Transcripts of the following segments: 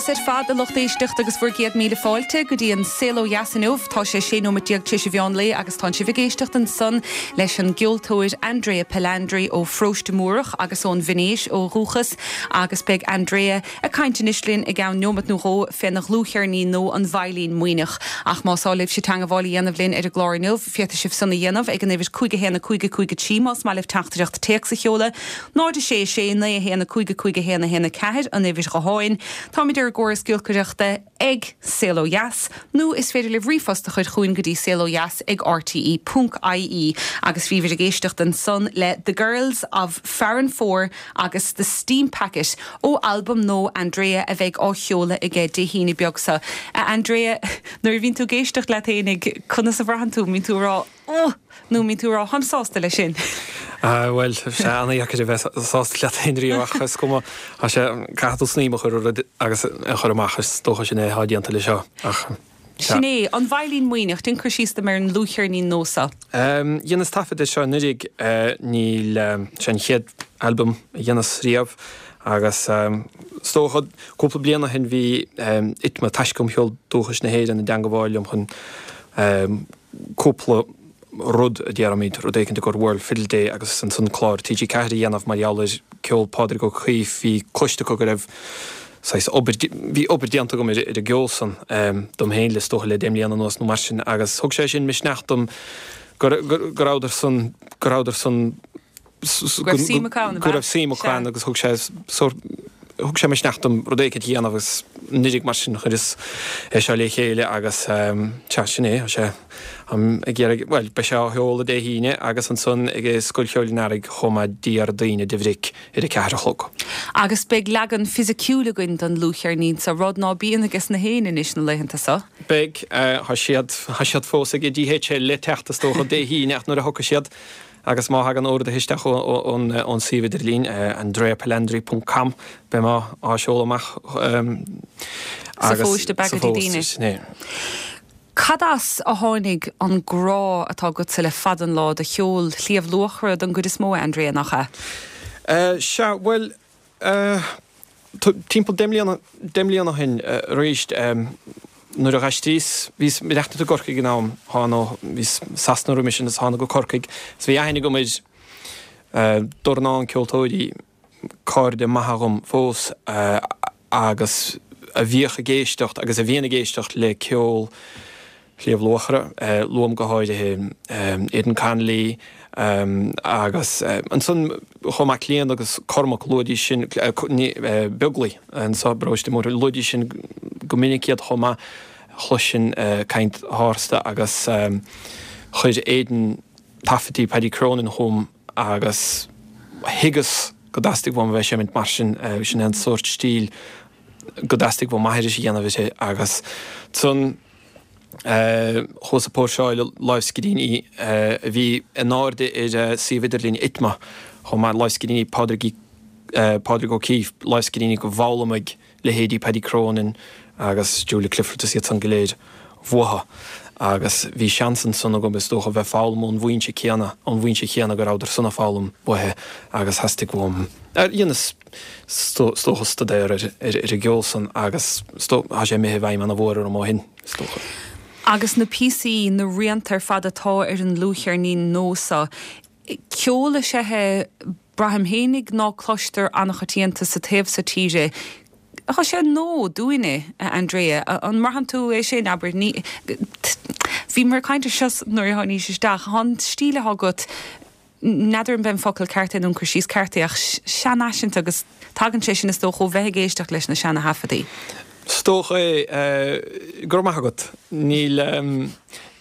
Beatha ar fad a lucht éisteachta agus bhur gcéad míle fáilte go dtí an Saol Ó Dheas inniu. Tá sé 16 nóimeat tar éis an mheán lae agus tánn sibh ag éisteacht ansan leis an gceoltóir Andrea Palandri ó Pharóiste Múrach agus ón Veinéis ó dhúchas agus beidh Andrea ag caint anois linn i gceann neomat nó dhó féna dhlúthcheirnín nua An Veidhlín Maoithneach. Ach más áil libhse teangabháil a dhéanamh linn ar an gclár inniu, féadfaidh sibh san a dhéanamh ag an uimhir 5 1 5 5 3 más maith libh teachtaireacht téacs a sheoladh, 0 6 6 9 1 5 5 1 1 4 an uimhir ghutháin. Táimid ar an gcóras giolcaireachta ag Saol Ó Dheas, nó is féidir libh ríomhphost a chur chugainn go dtí saolodheas ag rte ponc ie. Agus bhíobhair ag éisteacht ansan le The Girls of Farranfore agus The Steam Packet ó albam nua Andrea a bheidh á sheoladh aige Dé hAoine beag seo. A Andrea, nuair a bhíonn tú ag éisteacht leat fhéinig, conas a bhraitheann tú? An mbíonn tú ag rá Ugh! nó an mbíonn tú ag rá Táim sásta leis sin? Bhuel, tá sé an-dheacair a bheith sásta leat féin riamh ach is cuma, tá sé, caithfidh tú snaidhm a chur ar rud agus é a chur amach, is dócha sin é atá déanta leis seo ach. Sin é, An Veidhlín Maoithneach, déan cur síos dom ar an ndlúthcheirnín nua seo. Dheineas taifead air seo anuraidh, níl, sé an chéad albam a dheineas riamh agus is dócha cúpla bliain ó shin bhí ITMA, Taisce um Cheol Dúchais na hÉireann, i dteangabháil liom chun cúpla rud a déarfaimid, rud éicint i gcomhair World Fiddle Day agus ansan clár TG4 a dhéanamh mar gheall ar ceol Phádraig Ó Caoimh, bhí cloiste acu go raibh saghas obair, bhí obair déanta agam ar an gceol san dom féin le is dócha le deich mbliana anuas nó mar sin agus thug sé sin misneach dom go rabhadar san, go rabhadar san Go raibh suim acu ann, go raibh suim acu ann agus thug sé sórt, thug sé misneach dom rud éicint a dhéanamh agus anuraidh mar sin chuireas é seo le chéile agus sea, sin é, tá sé ag iarraidh, bhuel, beidh sé á sheoladh Dé hAoine agus ansan ag Scoil Cheoil an Earraigh chomh maith Déardaoin de bhric ar a ceathair a chlog. Agus beidh leagan fisiciúil againn den dlúthcheirnín seo, rud ná bíonn ages na héinne anois na laethanta seo. Beidh, tá siad, tá siad fós ag DHL le teacht is dócha Dé hAoine ach nuair a thiocfaidh siad, Agus má thagann orduithe isteach ón suíomh idirlín, andreapalandri ponc com, beidh mé á seoladh amach Sa phost ab ea go dtí daoine. Sin é. Cad as a tháinig an grá atá agatsa le fada an lá do cheol Shliabh Luachra don gcuid is mó, a Andrea, nach ea? Sea, bhuel, Timpeall deich mbliana, deich mbliana ó shin arís, nuair a d'aistríos, bhíos ag maireachtaint i gCorcaigh ag an am, thána, bhíos i Sasana roimis sin is thána go Corcaigh, is bhí aithne agam ar dornán ceoltóirí, cairde maithe dhom fós, agus a bhíodh ag éisteacht agus a bhíonn ag éisteacht le ceol Shliabh Luachra, luaim go háirithe Aidan Connolly agus ansan chomh maith Clíodhna agus Cormac, luaidís sin, Beaglaoich anso i bParóiste Múrtha, luaidís sin go minic iad chomh maith, chloisinn caint tharstu agus chuir Aidan taifeadtaí Paddy Cronin chugam agus thuigeas go dteastaigh uaim a bheith ag seimint mar sin, sin é an sórt stíl go dteastaigh uaim aithris a dhéanamh uirthi agus ansan Chuas ag póirseáil lámhscríbhinní a bhí in airde ar suíomh idirlín ITMA chomh maith, lámhscríbhinní Pádraig Pádraig O'Keeffe, lámhscríbhinní go bhfoghlaimigh leithéidí Paddy Cronin agus Julia Clifford is iad san go léir uathu. Agus bhí seans ansan agam is dócha bheith foghlaim ón bhfoinse céanna, ón bhfoinse chéanna go rabhadar san ag foghlaim uaithi agus theastaigh uaim, dheineas is dócha staidéar ar an gceol san agus tá sé imithe i bhfeidhm ana mhór orm ó shin, is dócha. Agus na píosaí, na rianta ar fad atá ar an ndlúthcheirnín nua seo, ceol is ea é, braithim fhéinig, ná cloistear an-choitianta sa taobh so tíre. Tá sé nua dúinne, a Andrea. An mbraitheann tú é sin, abair? Ní, bhíomar ag caint air seo nuair a tháinís isteach. Tá an stíl atá agat, N'fheadar an b'é an focal ceart é nó an cur síos ceart é ach seanfhaiseanta agus tagann sé sin is dócha ó bheith ag éisteacht leis na seana-thaifeadaí. Is dócha é. Go raibh maith agat. Níl,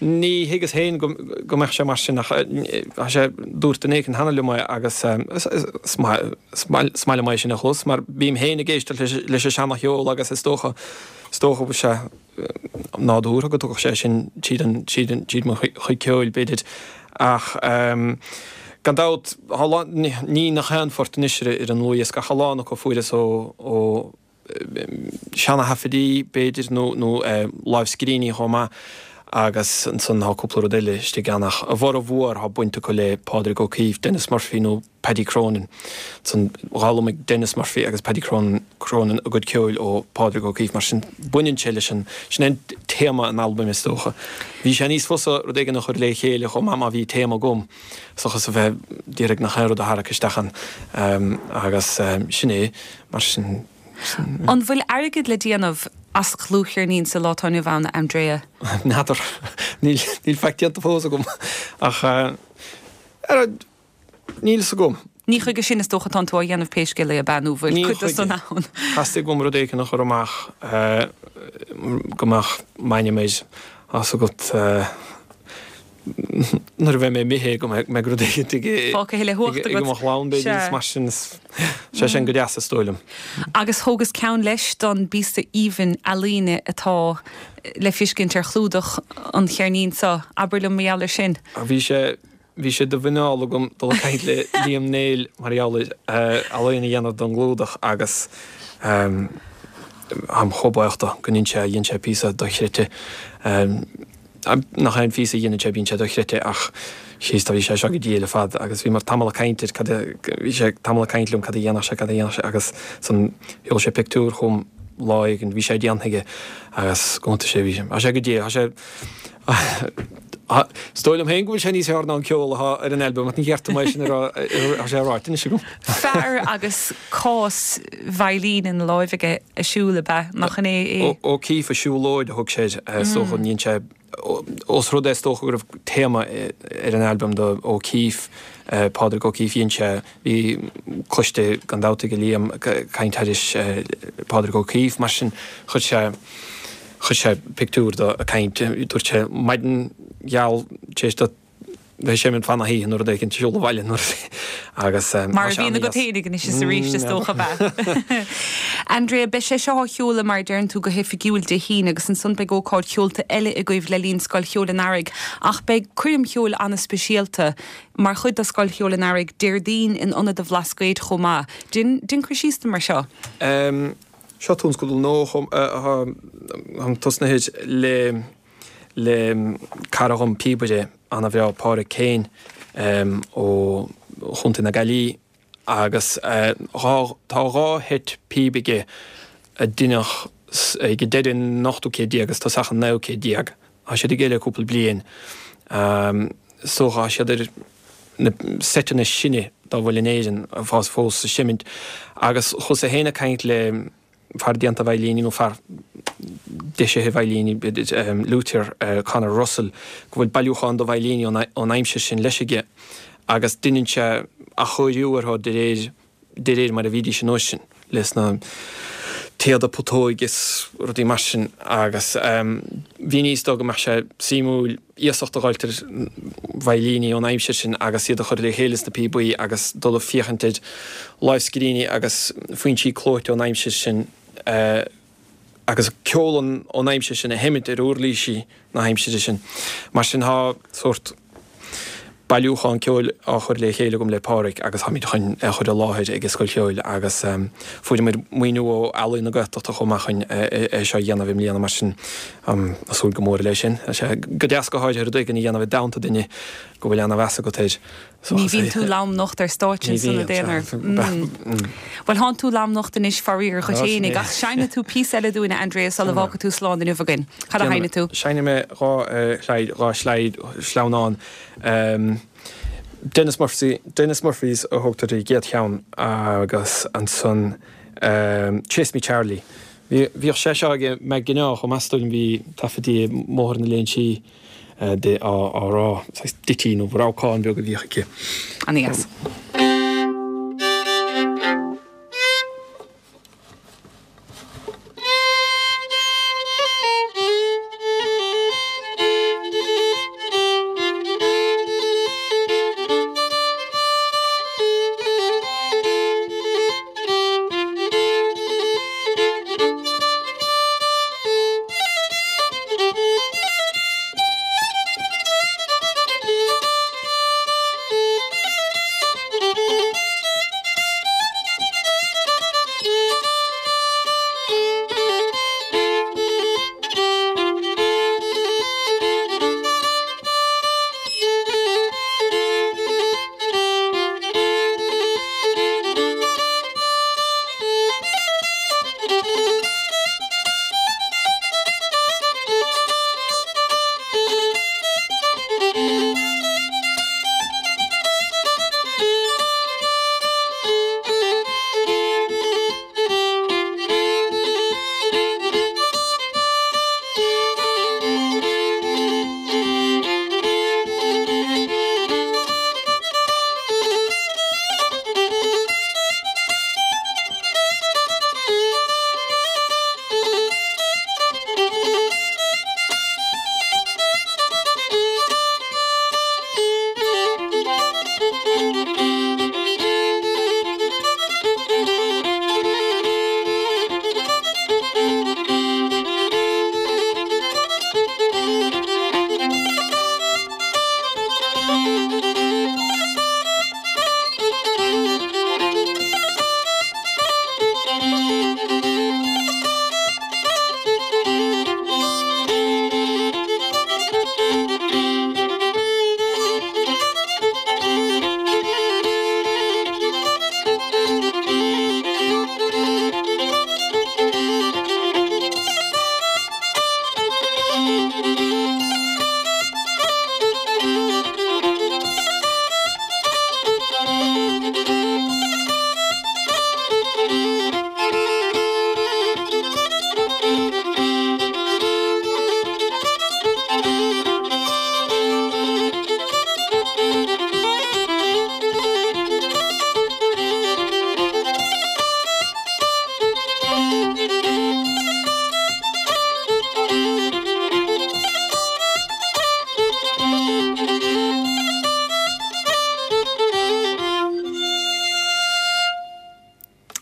ní thuigeas féin go mbeadh sé mar sin ach tá sé, dúirt duine éicint cheana liom é agus is maith, is maith liom é sin a chlos mar bím féin ag éisteacht leis an seana-cheol agus is dócha, is dócha go bhfuil sé, nádúrtha go dtiocfadh sé sin tríd an, tríd an, tríd mo chuid ceoil, b'fhéidir. Ach gan dabht, tá a lán, ní nach aon phort anois ar an ndlúthdhiosca ach a lán acu a fuaireas ó, ó seana-thaifeadaí, b'fhéidir, nó, nó lámhscríbhinní chomh maith. Agus ansan tá cúpla rud eile istigh ann ach a bhformhór tá baint acu le Pádraig Ó Cuív, Denis Murphy nó Paddy Cronin. Ansan d'fhoghlaimigh Denis Murphy agus Paddy Cronin Cronin a gcuid ceoil ó Phádraig Ó Cuív mar sin baineann sé leis an, sin é téama an albaim is dócha. Bhí sé níos fusa rud éigin a chur le chéile chomh maith má bhí téama agam seachas a bheith d'iarraidh nach aon rud a tharrac isteach ann agus sin é mar sin. An bhfuil airgead le déanamh as dlúthcheirnín sa lá atá inniu ann, a Andrea? N'fheadar. Níl, níl faic déanta fós agam. Ach, ar, níl fhios agam. Ní chuige sin is dócha atánn tú á dhéanamh pé scéal é, ab ea, nó bhfuil Ní cuid de chuige. san ann? Theastaigh uaim rud éigin a chur amach go mbeadh m'ainm air, tá 'fhios agat. Nuair a bheidh mé imithe go mbeidh rud éigin ag Fágtha le huacht agat. mo chlann b'fhéidir is mar sin is sé sin go deas is dóigh liom. Agus thógas ceann leis don bpíosa aoibhinn ealaíne atá le fiscint ar chlúdach an cheirnín seo. Abair liom mar gheall air sin. Bhí sé bhí sé de mhuineál agam dul ag caint le Liam Néill mar gheall ar ealaín a dhéanamh don gclúdach agus táim chomh buíoch dó go ndein sé dhein sé píosa dochreidte. Nach aon phíosa a dhéanann sé, bíonn sé dochreidte ach síos tá bhí sé seo go diail ar fad agus bhíomar tamall ag caint ar cad a, bhí sé tamall ag caint liom cad a dhéanfadh sé, cad a dhéanfadh sé agus ansan sheol sé pictiúr chugam lá éigin, bhí sé déanta aige agus go hiontas sé, bhí sé, tá sé go diail, tá sé, is dóigh liom féin go bhfuil sé níos fearr ná an ceol atá ar an albam ach ní cheart dom é sin a rá, tá sé ráite anois agam. Fear agus cás veidhlín ina láimh aige ag siúl, ab ea? Nach in é é? O'Keeffe, a siúlóid a thug sé air, is dócha. Dhein sé, ós rud é is dócha go raibh téama ar an albam do O'Keeffe, Pádraig O'Keeffe, dhein sé, bhí cloiste gan dabht ag Liam ag caint thairis Pádraig O'Keeffe, mar sin chuir sé, chuir sé pictiúr de ag caint, dúirt sé maidin gheal tar éis do bheith ag seimint fan na hoíche nó rud éicint, siúl abhaile nó rud agus Mar a bhíonn agat fhéinig anois is arís is dócha ab ea? Andrea, beidh sé seo á sheoladh mar a deireann tú go hoifigiúil Dé hAoine agus ansan beidh ócáid cheolta eile agaibh le linn Scoil Cheoil an Earraigh ach beidh coirm cheoil an-speisialta mar chuid de Scoil Cheoil an Earraigh Déardaoin in Ionad an Bhlascaoid chomh maith. Dein, dein cur síos dom ar seo. Seo tionscadal nua atá tosnaithe le le cara dhom, píobaire ana-bhreá, Páraic Kane ó Chontae na Gaillimhe agus tá dhá sheit píob aige a deineadh ag deireadh an ochtú céad déag agus tosach an naoú céad déag. Tá siad aige le cúpla bliain. Is dócha tá siad ar na seiteanna is sine dá bhfuil in Éirinn fós ag seimint agus chuas-sa féin ag caint le fear déanta veidhlíní nó fear deisithe veidhlíní, luthier Conor Russell, go bhfuil bailiúchán de veidhlíní ón aimsir sin leis aige agus deineann sé athchóiriú orthu de réir de réir mar a bhídís an uair sin, leis na téada putóige is rudaí mar sin agus mhíníos dó go mbeadh sé suimiúil iasacht a dh'fháilt ar veidhlíní ón aimsir sin agus iad a chur le chéile sna píobaí agus dul ag féachaint ar lámhscríbhinní agus foinsí clóite ón aimsir sin agus ceol ón aimsir sin a sheimint ar uirlísí na haimsire sin. Mar sin tá sórt bailiúchán ceoil á chur le chéile agam le Páraic agus táimid chun é a chur i láthair ag an Scoil Cheoil agus fuaireamar maoiniú ó Ealaín na Gaeltachta chomh maith chun é seo a dhéanamh i mbliana mar sin táim ag súil go mór leis sin. Tá sé go deas go háirithe rud éigin a dhéanamh i dteannta duine go bhfuil ana-mheas agat air. Ní bhíonn tú lomnocht ar stáitse ansan i d'aonar. Bhuel, thánn tú lomnocht anois faraor dhuit fhéinig, ach seinnfidh tú píosa eile dúinn, a Andrea, sula bhfágfaidh tú slán inniu againn. Cad a sheinnfidh tú? Seinnfidh mé dhá shlaid, dhá shlaid, sleamhnán. Denis Murphy, Denis Murphy's a thugtar ar an gcéad cheann agus ansan Chase Me Charlie. Bhíodh sé seo ag McGineá chomh maith is dóigh liom, bhí taifeadtaí i mBóthar na Léinsí. di á rá. Saghas ditty nó rabhcán beag a bhíodh aici. Ana-dheas.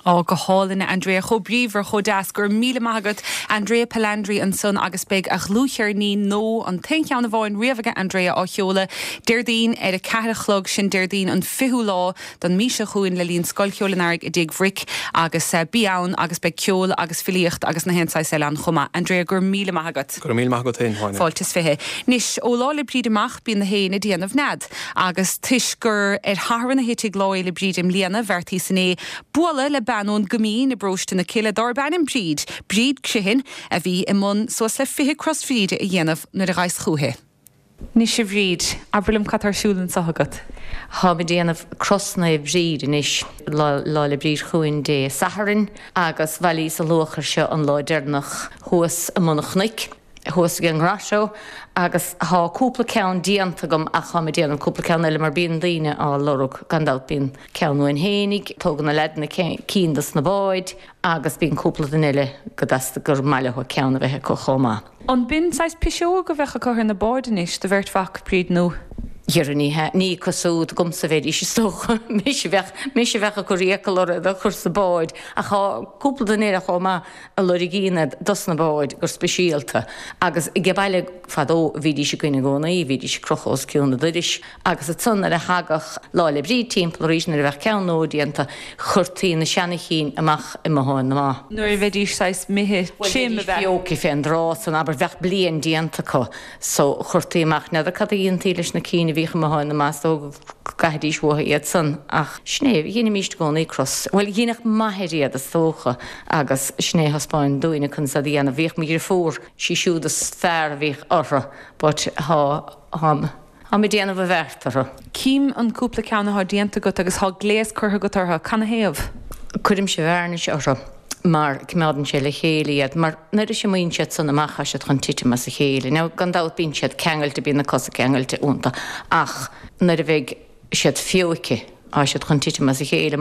Ó, go hálainn, a Andrea. Chomh bríomhar, chomh deas. Go raibh míle maith agat. Andrea Palandri ansan agus beidh a dhlúthcheirnín nua, an t-aon cheann amháin riamh aige Andrea, á sheoladh Déardaoin ar a 4 a chlog, sin Déardaoin an 20ú lá don mí seo chugainn le linn Scoil Cheoil an Earraigh i dTigh Bhric agus bí ann agus beidh ceol agus filíocht agus na haon saghas eile ann chomh maith. Andrea, go raibh míle maith agat. Go raibh míle maith agat féin, Áine. Fáilte is 20. Anois, ó Lá 'le Bríde amach, bíonn na héin ag déanamh nead. Agus toisc gur ar Shatharn a thitfidh Lá Fhéile Bríde i mbliana, bheartaíos inné bualadh le bean ón gCoimín i bparóiste na Cille dárb ainm Bríd, Bríd Criomhthain, a bhí i mbun suas le 20 cros Bhríde a dhéanamh nuair a ghabhas chúithi. Anois a Bhríd, abair liom cad tá ar siúl anseo agat? Táim ag déanamh cros Naomh Bríd anois, Lá 'le Bríd chugainn Dé Sathairn, agus bhailíos an luachair seo an lá deireanach thuas i mbun an chnoic. thuas ag an nGrotto agus thá cúpla ceann déanta agam ach tháim ag déanamh cúpla ceann eile mar bíonn daoine á lorg gan dabht bíonn ceann uainn fhéinig, tógann na leaideanna cinn dos na báid agus bíonn cúpla duine eile go dteastaigh gur maith leo ceann a bheith acu chomh maith. An b'in saghas piseog a bheadh acu ar na báid anois, do bheirt mhac, Bríd, nó? Dhera ní hea, ní acu súd agamsa a bheidís is dócha, mise a bheadh, mise a bheadh ag cur iachall orthu iad a chur sa bád ach thá cúpla duine eile chomh maith a loirgíonn iad dos na báid go speisialta agus age baile fadó bhídís againn i gcónaí, bhídís ag crochadh os cionn an doiris agus ansan nuair a thagadh Lá 'le Bríd timpeall arís nuair a bheadh ceann nua déanta chuirtí na seana chinn amach i mbothán na mba. Nuair a bheidís saghas imithe trim ab ea? Bheidís feoite fén dtráth san abair bheadh bliain déanta acu so chuirtí amach n'fheadar cad a dhéantaí leis na cinn a bhíodh i mbothán na mba is dócha go gcaithidís uathu iad san ach sin é, dheinimíst i gcónaí cros, bhuel dheineadh m'athair iad is dócha agus sin é a thaispeáin dúinne conas iad a dhéanamh. Bhíodh mo dhriofúr, sí siúd is fearr a bhíodh orthu but thá, tháim, tháim ag déanamh a bheart orthu. Cím an cúpla ceann athá déanta agat agus thá gléas curtha agat orthu. Canathaobh? Cuirimse vearnais orthu mar coimeádann sé le chéile iad mar nuair a imíonn siad san amach thá siad chun titim as a chéile. Now gan dabht bíonn siad ceangailte, bíonn na cosa ceangailte iontu ach nuair a bheidh siad feoite thá siad chun titim as a chéile.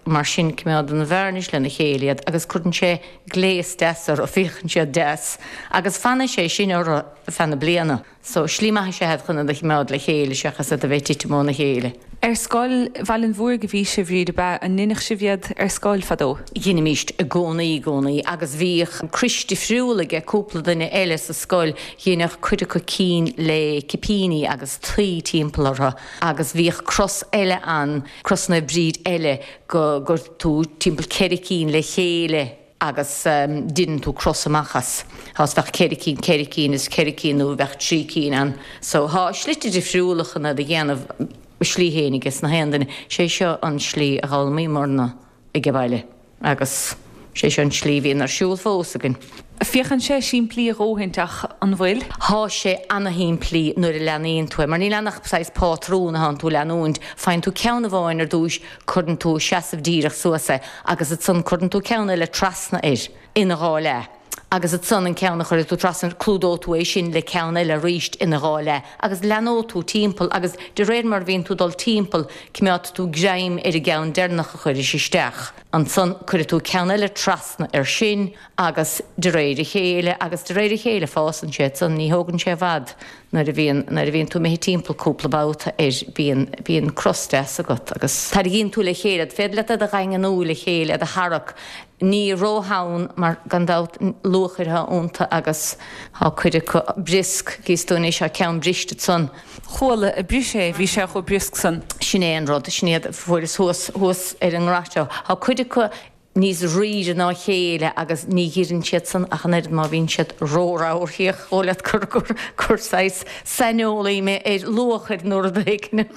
Mar sin coimeádann an vearnais lena chéile iad agus cuireann sé gléas deas orthu, féachann siad deas agus fanfaidh sé sin orthu feadh na bliana. So, slí maith is ea iad chun iad a choimeád le chéile seachas iad a bheith ag titim óna chéile. Ar scoil Bhaile an Mhúraigh a bhí sibh, Bhríd, ab ea? An ndeineadh sibh iad ar scoil fadó? Dheinimíst i gcónaí, i gcónaí. Agus bhíodh crois difriúil aige cúpla duine eile sa scoil, dheineadh cuid acu cinn le cipíní agus tuí timpeall orthu agus bhíodh cros eile ann, cros Naomh Bríd eile, go gcuir tú timpeall ceithre cinn le chéile agus deineann tú cros amach as. Thá is bheadh ceithre cinn, ceithre cinn is ceithre cinn nó bheadh trí cinn ann. So thá slite difriúla chun iad a dhéanamh, a slí fhéin aige sna haon duine. Sé seo an slí a d'fhoghlaimíomarna age baile agus sé seo an slí a bhíonn ar siúl fós againn. Féachann sé simplí a dhóthaint ach an bhfuil? Thá sé ana-shimplí nuair a leanaíonn tú é mar níl ann ach saghas pátrún a thánn tú a leanúint. Faigheann tú ceann amháin ar dtúis, cuireann tú seasamh díreach suas é agus ansan cuireann tú ceann eile trasna air ina dhá leath agus ansan an ceann a chuirfidh tú trasna air clúdóidh tú é sin le ceann eile aríst ina dhá leath agus leanóidh tú timpeall agus de réir mar a bhíonn tú dul timpeall coimeádfaidh tú greim ar an gceann deireanach a chuiris isteach. Ansan cuirfidh tú ceann eile trasna air sin agus de réir a chéile, agus de réir a chéile fásann sé ansan, ní thógann sé i bhfad nuair a bhíonn, nuair a bhíonn tú imithe timpeall cúpla babhta air bíonn, bíonn cros deas agat agus tarraingíonn tú le chéile iad, féidir leat iad a dhaingniú le chéile, iad a tharrac, ní rótheann mar gan dabht luachair atá iontu agus tá cuid acu briosc, gíos tú anois, tá ceann briste ansan. Chuala a bris é, bhí sé chomh briosc san. Sin é an rud, sin iad a fuaireas thuas, thuas ar an ngrotto. Tá cuid acu níos rírre ná a chéile agus ní ghiorrann siad san ach an oiread má bhíonn siad ró-ramhar. Thiocfadh leat gur, gur, gur saghas saineolaí mé ar luachair nó rud éigin.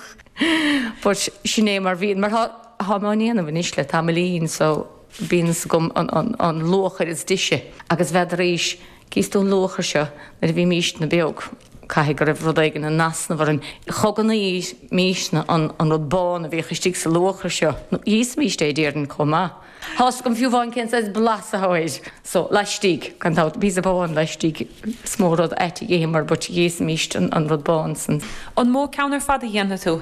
But sin é mar bhíonn, mar tá, táim á ndéanamh anois le tamaillín so bíonn fhios agam an, an, an luachair is deise agus bheadaís, Cíos tú an luachair seo nuair a bhímísne beag, caithfidh go raibh rud éigin in easnamh orainn. Chogannaímísne an rud bán a bhíodh istigh sa luachair seo, nó dh'íosfaimíst é déarfainn chomh maith. Tá's agam fiú amháin cén saghas blas atá air. So, laistigh, gan dabht, píosa bán laistigh, is mó rud ait a d'itheamar but dh'íosfaimíst an rud bán san. An mó ceann ar fad a dhéanfaidh tú?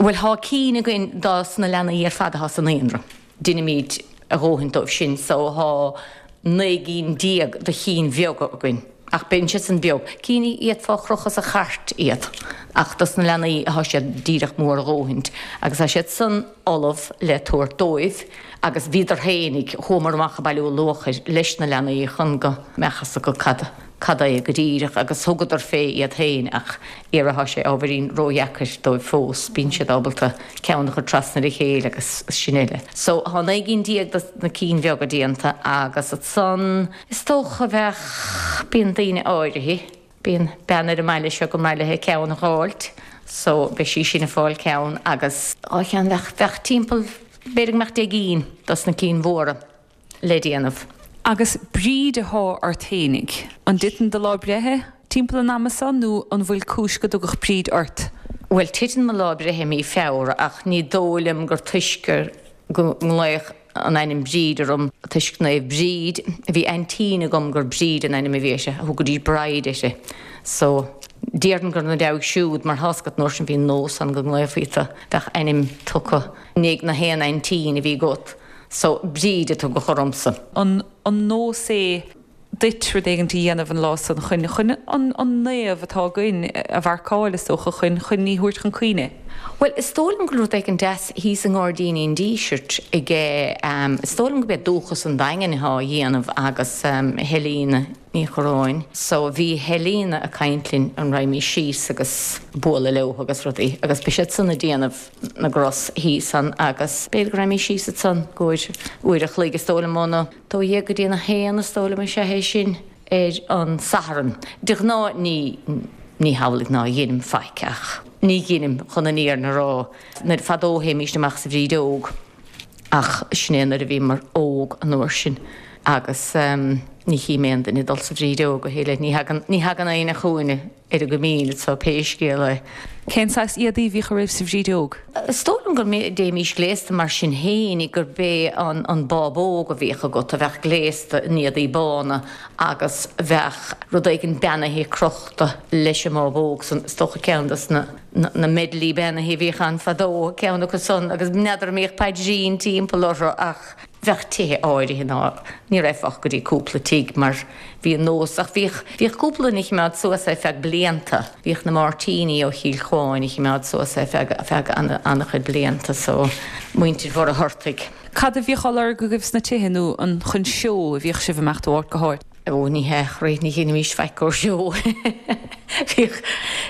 Bhuel, thá cinn againn dos na leanaí ar fad athá sa naíonra. Deinimíd a dhóthain dóibh sin so thá 19 gcinn de chinn bheaga againn. Ach bíonn siad san beag. Cinn a d'fhéadfá a chrochadh sa chairt iad. Ach dos na leanaí athá siad díreach mór a dhóthaint. Agus tá siad san ullamh le tabhairt dóibh. Agus bhíodar fhéinig, chuamar amach ag bailiú luachair leis na leanaí chun go mbeadh fhios acu cad, cad é go díreach agus thugadar fé iad féin ach iarraidh thá sé ábhairín ródheacair dóibh fós, bíonn siad ábalta ceann a chur trasna ar a chéile agus sin uile. So thá 19 gcinn dos na cinn bheaga déanta agus ansan, Is dócha bheadh, bíonn daoine áirithe, bíonn bean ar an mbaile seo go mba mhaith léi ceann a dh'fháilt so beidh sí sin ag fáil ceann agus dhá cheann, bheadh, bheadh timpeall, b'fhéidir go mbeadh 10 gcinn dos na cinn mhóra le déanamh. Agus Bríd athá ort fhéinig, an dtiteann do lá breithe timpeall an ama so nó an bhfuil cúis go dtugadh Bríd ort? Bhuel titeann mo lá breithe i mí Feabhra ach ní dóigh liom gur toisc gur, go nglaodh an ainm Bríd orm toisc Naomh Bríd. Bhí aintín agam gur Bríd an ainm a bhí uirthi, thugaidís Bride uirthi. So, déarfainn gur ina deabhaidh siúd, mar thá's agat an uair sin bhí nós ann go nglaofaí tu, bheadh ainm tugtha i ndiaidh na haon aintín a bhí agat. So, Bríd a tugadh ormsa. An nós é duit rud éigint a dhéanamh an lá san chun, chun an, an naomh atá againn a mharcáil, is dócha, chun, chun í thabhairt chun cuimhne. Bhuel, is dóigh liom go bhfuil rud éigin deas thíos i nGairdíní an Dísirt aige, is dóigh liom go b'é Dúchas an Daingin athá á dhéanamh agus Helena Ní Churráin. So bhí Helena ag caint linn an raghaimís síos agus bualadh leo agus rudaí agus beidh siad san ag déanamh na gcros thíos ann agus b'fhéidir go raghaimís síos ansan i gcomhair uair a chloig is dóigh liom óna 12 go dtí an 1 is dóigh liom is ea é sin ar an Satharn. De ghnáth ní ní hamhlaidh ná dheinim faic ach ní dheinim chun an fhírinne a rá. Nuair fadó théimíst amach sa bhrídeog ach sin é nuair a bhíomar óg an uair sin agus ní chím aon duine ag dul sa bhrídeog a thuilleadh. Ní thagann ní thagann éinne chugainne. ar an gCoimín so pé scéal é. Cén saghas éadaí a bhíodh oraibh sa bhrídeog? Is dóigh liom go dtéimís gléasta mar sin fhéin, gurb é an bábóg a bhíodh agat a bheadh gléasta in éadaí bána agus bheadh rud éigin beannaithe crochta leis an mbábóg san, is dócha ceann dos na na medley beannaithe a bhíodh ann fadó, ceann acu san agus n'fheadar an mbíodh paidrín timpeall orthu ach bheadh tithe áirithe ná ní raghfá ach go dtí cúpla tigh mar bhí an nós ach bhíodh, bhíodh cúpla duine a chimeád suas é feadh blianta, bhíodh na Máirtíní ó Chill Chuáin a chimeád suas é feadh, feadh an-chuid blianta so muintir Mhuircheartaigh. Cad a bhíodh á lorg agaibh sna tithe nó an chun seó a bhíodh sibh imeacht ó áit go háit? Ó ní hea, chroí, ní dheinimís faic ó seó. Bhíodh,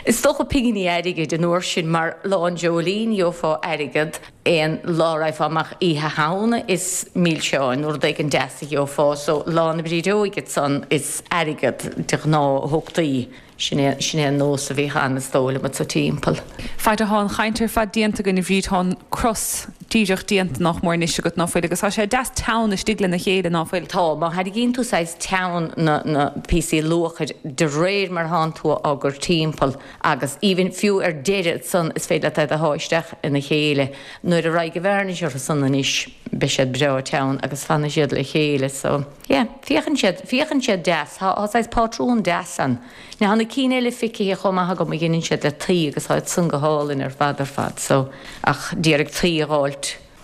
is dócha pinginí airgid an uair sin mar Lá an Dreoilín gheofá airgead, aon lá a raghfá amach Oíche Shamhna is milseáin nó rud éigin deas a gheofá so Lá na Brídeoige ansan is airgead de ghnáth a thugtaí. Sin é, sin é an nós a bhíodh ann is dóigh liom anso timpeall. Fad atá an chaint ar fad déanta againn a Bhríd tá an cros díreach déanta nach mór anois agat ná fuil agus tá sé deas teann istigh lena chéile ná fuil? Tá, má thairgíonn tú saghas teann na, na píosaí luachair de réir mar thánn tú á gcur timpeall Agus even fiú ar deireadh ansan is féidir leat iad a shá isteach ina chéile. Nuair a raghaidh an vearnais orthu san anois beidh siad breá teann agus fanfaidh siad le chéile so yeah féachann siad, féachann siad deas. Tá, tá saghas pátrún deas ann. Now tá na cinn eile feicthe chomh maith agam a dheineann siad le tuí agus tá iad san go hálainn ar fad ar fad so ach d'iarraidh tuí a dh'fháilt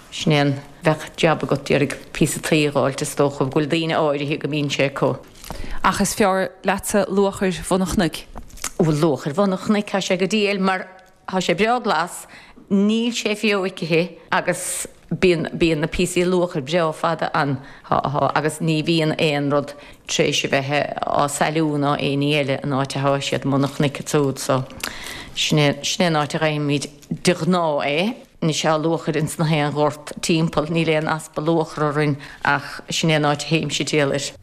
Sin é an, bheadh jab agat d'iarraidh píosa tuí a dh'fháilt is dócha go bhfuil daoine áirithe go mbíonn sé acu. Ach is fearr leatsa luachair bhun an chnoic. Bhuel luachair bhun an chnoic tá sé go diail mar tá sé breá glas, níl sé feoicithe agus bíonn, bíonn na píosaí luachair breá fada ann, thá, thá, agus ní bhíonn aon rud tréis a bheith á sailiú ná aon ní eile an áit athá siad i mbun an chnoic ansúd so sin é, sin é an áit a gheibhimid de ghnáth é. Anois tá luachair ins na haon ghort timpeall, níl aon easpa luachar orainn ach sin é an áit a théimse diail air.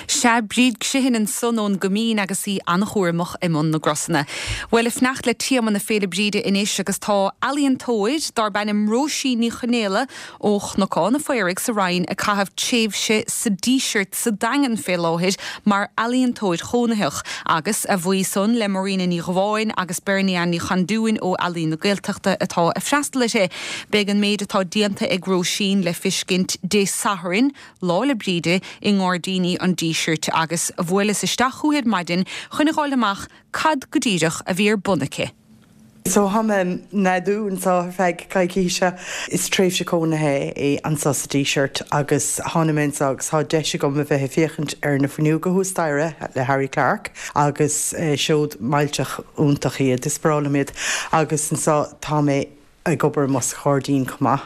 Sea, Bríd Sheehan ansan ón gCoimín agus í an-chúramach i mbun na gcrosanna. Bhuel, ag fanacht le téama na Féile Bríde anois agus tá ealaíontóir darb ainm Róisín Ní Chonaola ó Chnocán an Phaoraigh sa Rinn ag caitheamh tréimhse sa Díseart sa Daingean fé láthair mar ealaíontóir chónaitheach agus a bhuí san le Marina Ní Dhubháin agus Bernie Ann Ní Chandúin ó Ealaín na Gaeltachta atá ag freastal uirthi. Beidh an méid atá déanta ag Róisín le fiscint Dé Sathairn, Lá 'le Bríde, i nGairdíní an Dísirt agus bhuaileas isteach chúithi ar maidin chun a dh'fháil amach cad go díreach a bhí ar bun aici. So thá mé im neadú anso ar feadh coicíse. Is tréimhse cónaithe é anso sa Díseart agus tháinig mé anso agus thá deis agam a bheith ag féachaint ar na fuinneoga thuas staighre le Harry Clarke agus seod millteach iontach iad, is breá liom iad agus anso tá mé ag obair amuigh sa ghairdín chomh maith.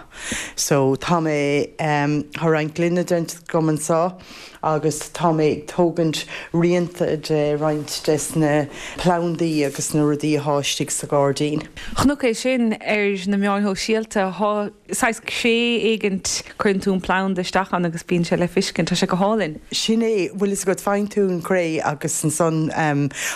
So tá mé, tá roinnt gloine déanta agam anso agus tá mé ag tógaint rianta de roinnt des na plandaí agus na rudaí athá istigh sa ghairdín. Chonac é sin ar na meáin shóisialta. Thá saghas cré éigint, cuireann tú an planda isteach ann agus bíonn sé le fiscint. Tá sé go hálainn. Sin é, bhfuil fhios agat, faigheann tú an chré agus ansan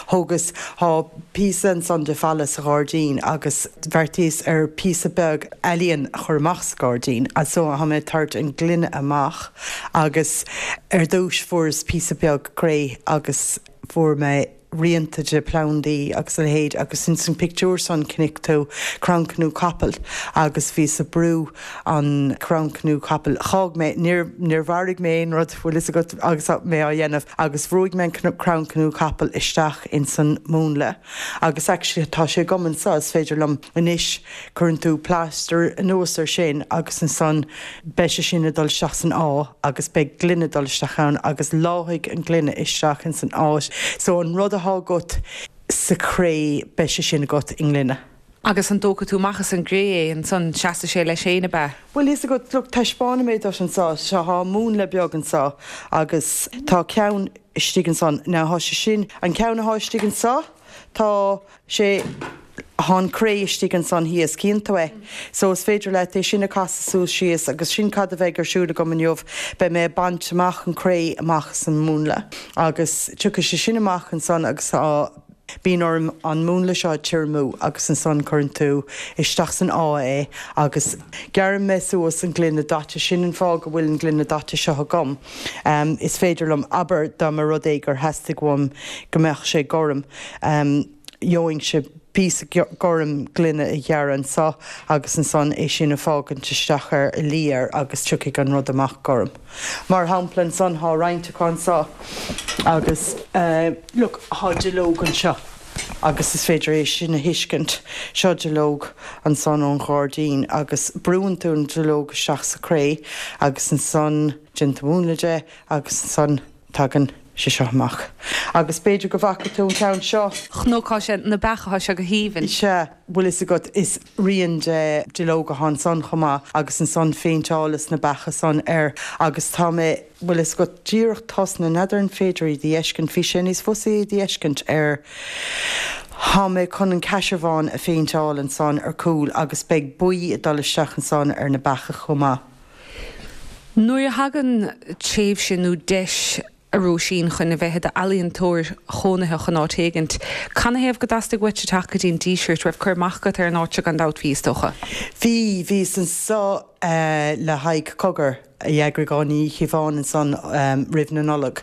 thógas, thá píosa ansan de falla sa ghairdín agus bheartaíos ar píosa beag ealaíon a chur amach sa ghairdín so thá mé ag tabhairt an gloine amach agus ar dtúis fuaireas píosa beag cré agus fuair mé rianta de phlandaí agus a leithéid agus ins an pictiúr san chonaic tú crannchniú capaill agus bhíos ag brú an crannchniú capaill. Dh'fhág mé, níor, níor mharaigh mé aon rud, bhfuil fhios agat, agus mé á dhéanamh agus bhrúigh mé an crannchniú capaill isteach ins an múnla agus actually tá sé agam anso, is féidir liom anois, cuireann tú plaster anuas ar sin agus ansan beidh sé sin ag dul isteach san áth agus beidh gloine ag dul isteach ann agus leáfaidh an gloine isteach ins an áit so an rud athá agat sa chré beidh sé sin agat i ngloine. Agus an dtógfaidh tú amach as an gcré é ansan, seasfaidh sé leis féin, ab ea? Bhfuil fhios agat, look, taispeánfaidh mé duit anso, seo, thá múnla beag anso agus tá ceann istigh ansan, now thá sé sin, an ceann athá istigh anso, tá sé, thá an cré istigh ansan thíos, cíonn tú é? So is féidir leat é sin a casadh suas síos agus sin cad a bheidh ar siúl agam inniu, beidh mé ag baint amach an cré amach as an múnla agus tiocfaidh sé sin amach ansan agus tá, Bíonn orm an múnla seo a tirimú agus ansan cuireann tú isteach san áth é agus gearrann mé suas an gloine daite. Sin an fáth go bhfuil an gloine daite seo agam. Is féidir liom, abair dá mba rud é gur theastaigh uaim go mbeadh sé gorm, gheobhainnse píosa gorm gloine a ghearradh anso agus ansan é sin a fágaint isteach air, a luí air agus tiocfaidh an rud amach gorm. Mar shampla ansan thá roinnt acu anso agus look thá duilleog anseo agus is féidir é sin a thuiscint. Seo duilleog ansan ón ghairdín agus brúann tú an duilleog isteach sa chré agus ansan déanann tú múnla de agus ansan tagann sé seo amach. Agus b'fhéidir go bhfaca tú an ceann seo. Chonaic sé na beacha, thá sé go haoibhinn. Sea, bhfuil fhios agat, is rian de duilleog athá ansan chomh maith agus ansan phéinteálas na beacha san air agus tá mé, bhfuil fhios agat, díreach tosnaithe, n'fheadar an féidir iad a fheiscint, bhí sé níos fusa iad a fheiscint ar, thá mé chun an caisearbhán a phéinteáil ansan ar cúl agus beidh buí ag dul isteach ansan ar na beacha chomh maith. Nuair a thagann tréimhse nó deis a Róisín chun a bheith i d'ealaíontóir chónaitheach in áit éigint, canathaobh go dteastaigh uait teacht go dtí an Díseart? Raibh cur amach agat ar an áit seo gan dabht, bhí, is dócha? Bhí, bhíos anso le haghaidh Cogar a d'eagraigh Áine Ní Chíobháin ansan roimh na Nollag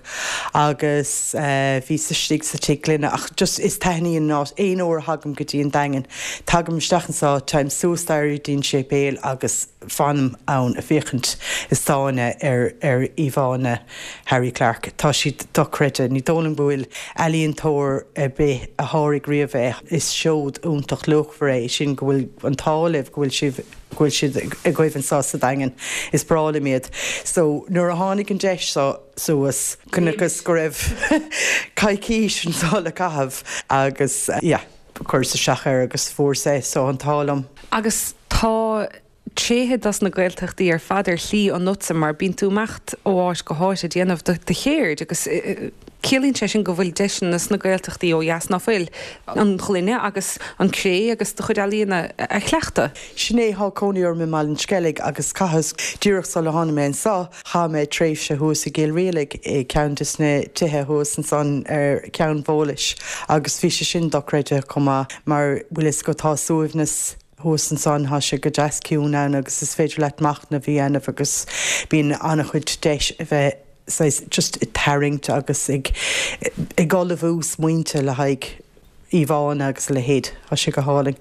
agus bhíos istigh sa Tigh Gloine ach just is taitníonn an áit, aon uair a thagaim go dtí an Daingean, tagaim isteach anso, téim suas staighre go dtí an séipéal agus. fanaim ann ag féachaint ag stánadh ar ar íomhánna Harry Clarke. Tá siad dochreidte. Ní dóigh liom go bhfuil ealaíontóir ar bith a sháraigh riamh é. Is seod iontach luachmhar é sin go bhfuil an t-ádh libh go bhfuil sibh go bhfuil siad agaibh anseo sa Daingean. Is breá liom iad. So nuair a tháinig an deis seo suas, chonaiceas go raibh coicís anseo le caitheamh agus yeah, chuireas isteach air agus fuaireas é so an t-ádh liom. Agus tá tréithe dos na Gaeltachtaí ar fad ar shlí ionatsa mar bíonn tú ag imeacht ó áit go háit ag déanamh do cheird agus ciallaíonn sé sin go bhfuil deiseanna sna Gaeltachtaí ó dheas ná fuil, an ghloine agus an cré agus do chuid ealaíona a chleachtadh. Sin é, thá cónaí orm i mBaile an Sceilg agus chaitheas, díreach sula tháinig mé anso, chaith mé tréimhse thuas i gCill Rialaig i ceann des na tithe thuas ansan ar Cheann Bhólais agus bhí sé sin dochreidte chomh maith mar bhfuil fhios agat tá suaimhneas thuas ansan, thá sé go deas ciúin ann agus is féidir leat machnamh a dhéanamh agus bíonn an-chuid deis a bheith saghas just ag tarraingt agus ag ag ullmhú smaointe le haghaidh íomhánna agus a leithéid. Tá sé go hálainn.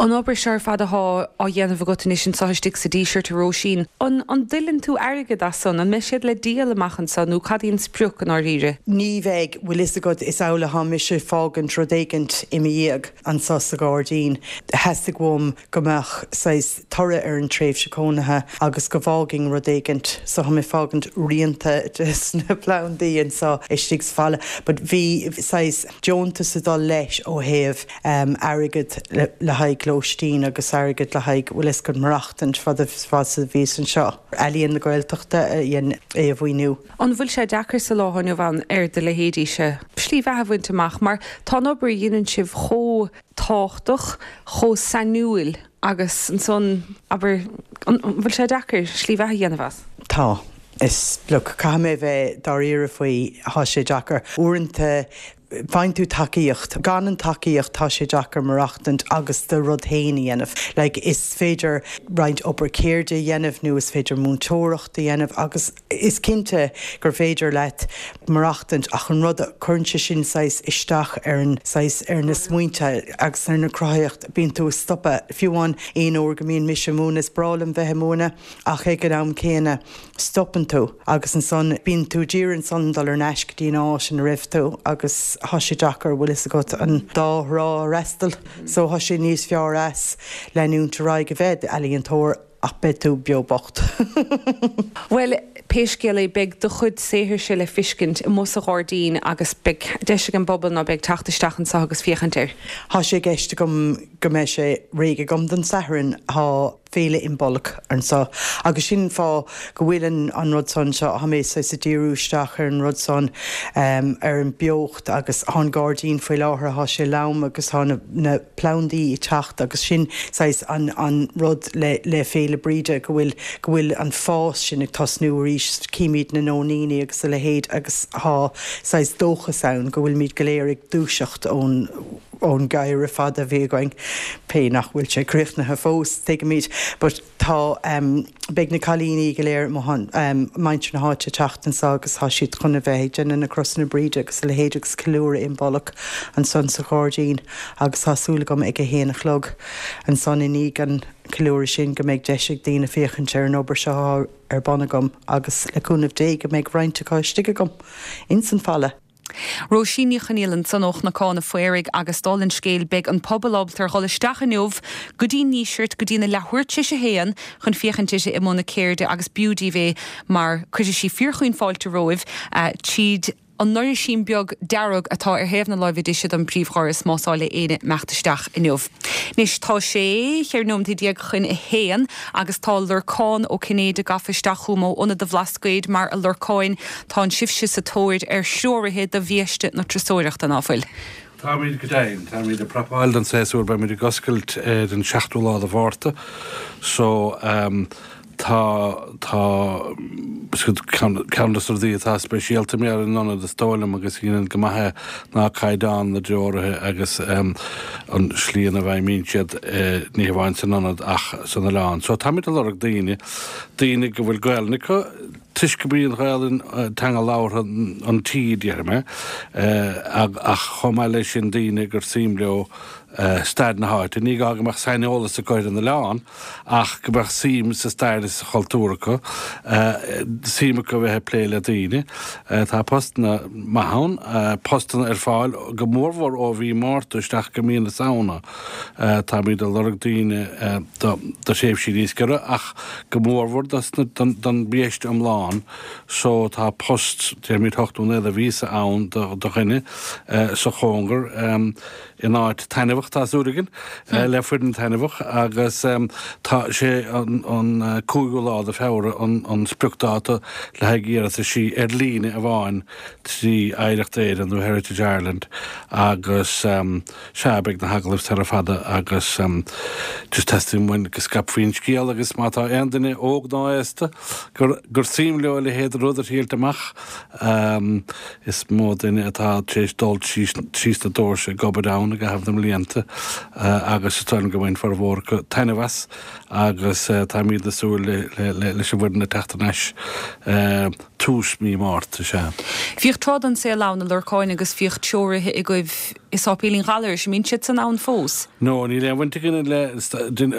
An obair seo ar fad athá á dhéanamh agat anois anseo istigh sa Díseart, a Róisín, an an dtuilleann tú airgead as san? An mbeidh siad le díol amach anseo nó cad í an sprioc i ndáiríre? Ní bheidh, bhfuil fhios agat, is amhlaidh thá mise ag fágaint rud éigint i mo dhiaidh anseo sa ghairdín. Theastaigh uaim go mbeadh saghas toradh ar an tréimhse cónaithe agus go bhfágfainn rud éigint so thá mé ag fágaint rianta des na plandaí anseo istigh sa falla. But bhí saghas deontas ag dul leis ó thaobh airgead le haghaidh lóistín agus airgead le haghaidh, bhfuil fhios agat, maireachtaint fad is a bhíos anseo. Ealaíon na Gaeltachta a dhein é a mhaoiniú. An bhfuil sé deacair sa lá inniu ann ar do leithéidíse slí bheatha a bhaint amach mar tá an obair a dheineann sibh chomh tábhachtach, chomh sainiúil agus ansan, abair, an bhfuil sé deacair slí bheatha a dhéanamh as? Tá. Is, look, caithfidh mé a bheith dáiríre faoi, thá sé deacair. Uaireanta Faigheann tú tacaíocht. Gan an tacaíocht tá sé deacair maireachtaint agus do rud féin a dhéanamh. Like is féidir roinnt obair ceirde a dhéanamh nó is féidir múinteoireacht a dhéanamh agus is cinnte gur féidir leat maireachtaint ach an rud a cuireann sé sin saghas isteach ar an saghas ar na smaointe agus ar na cruthaitheacht bíonn tú ag stopadh. Fiú amháin aon uair go mbíonn mise ag múineadh is breá liom bheith ag múineadh ach ag an am céanna stopann tú agus ansan bíonn tú d'iarraidh ansan dul ar n-ais go dtí an áit ina raibh tú agus thá sé deacair, bhfuil fhios agat, an dá thrá a fhreastal so thá sé níos fearr as leanúint ar aghaidh a bheith i d'ealaíontóir ach beidh tú beo bocht. Bhuel, pé scéal é, beidh do chuid saothairse le fiscint amuigh sa ghairdín agus beidh deis ag an bpobal ná beidh teacht isteach anseo agus féachaint air. Thá sé i gceist agam go mbeidh sé réidh agam don Satharn. Thá. Féile Imbolc anseo agus sin an fáth go bhfuil an an rud san seo, thá mé saghas ag díriú isteach ar an rud san, ar an beocht agus thá an gairdín faoi láthair, thá sé lom agus thá na na plandaí ag teacht agus sin saghas an an rud le le Féile Bríde go bhfuil go bhfuil an fás sin ag tosnú arís, címid na nóiníní agus a leithéid agus thá saghas dóchas ann go bhfuilimid go léir ag dúiseacht ón ón ngeimhreadh fada a bhí againn, pé nach bhfuil sé críochnaithe fós, tuigimid, but tá em beidh na cailíní go léir amuigh em muintir na háite ag teacht anso agus tá siad chun a bheith ag déanamh na crosanna Bríde agus a leithéid agus ceiliúradh Imbolc ansan sa ghairdín agus tá súil agam ag a haon a chlog ansan i ndiaidh an cheiliúradh sin go mbeidh deis ag daoine féachaint ar an obair seo atá ar bun agam agus le cúnamh Dé go mbeidh roinnt acu istigh agam ins an falla. Róisín Ní Chonaola ansan ó Chnocán a' Phaoraigh agus dála an scéil beidh an pobal ábalta ar dhul isteach inniu go dtí an nDíseart go dtína leathuair tar éis a haon chun féachaint uirthi i mbun a ceirde agus b'fhiú daoibh é mar cuirfidh sí fíorchaoin fáilte romhaibh tríd an ndoirsín beag dearg atá ar thaobh na láimhe deise den príomhdhoras más áil le éinne imeacht isteach inniu. Anois tá sé 14 nóiméad chun a haon agus tá Lorcán Ó Cinnéide gafa isteach chugam ó Ionad an Bhlascaoid mar a Lorcáin Tánn sibhse sa tóir ar threoraithe do bhiaiste na turasóireachta, ná fuil? Táimid go deimhin. Táimid ag prapáil don séasúr. Beimid ag oscailt ar an seachtú lá de Mhárta. So, tá, tá, ceann de na rudaí atá speisialta mar an ionad is dóigh liom agus a dhéanann go maith é ná caighdeán na dtreoraithe agus an slí ina bhfeidhmíonn siad ní hamháin san ionad ach san oileán. So táimid ag lorg daoine, daoine go bhfuil Gaelainn acu, Toisc gurb í an Ghaelainn teanga labhartha an tí, déarfaidh mé, ach chomh maith leis sin daoine gur suim leo stair na háite. Ní gá go mbeadh saineolas acu ar an oileán ach go mbeadh suim sa stair is sa chultúr acu, suim acu a bheith ag plé le daoine. Tá postanna maith ann, postanna ar fáil go mórmhór ó mhí Márta isteach go mí na Samhna. Táimid ag lorg daoine do thréimhsí níos giorra ach go mórmhór don bhiaiste iomlán so tá post, déarfaimid hocht nó naoi de mhíosa ann do dhuine sa chóngar in áit taitneamhach, tá súil againn, le foireann taitneamhach agus tá sé an cúigiú lá de Feabhra an spriocdáta le haghaidh iarrataisí ar líne amháin trí Oidhreacht Éireann nó Heritage Ireland agus Sea, beidh na hagallaimh sara fada agus just teastaíonn uainn go scaipfí an scéal agus má tá aon duine, óg ná aosta, gur gur suim leo a leithéid de rud a thriailt amach, is mó duine atá tar éis dul trí sna doirse ag obair ann i gcaitheamh na mblianta agus is dóigh liom go mbain formhór acu taitneamh as agus táimid ag súil leis an bhfoireann ag teacht ar ais. Tús mí Márta, sea. Bhíodh tráth den saol ann, a Lorcáin, agus bhíodh treoraithe agaibh i Sáipéilín Ghallarais, an mbíonn siad san ann fós? No, níl aon bhaint againn le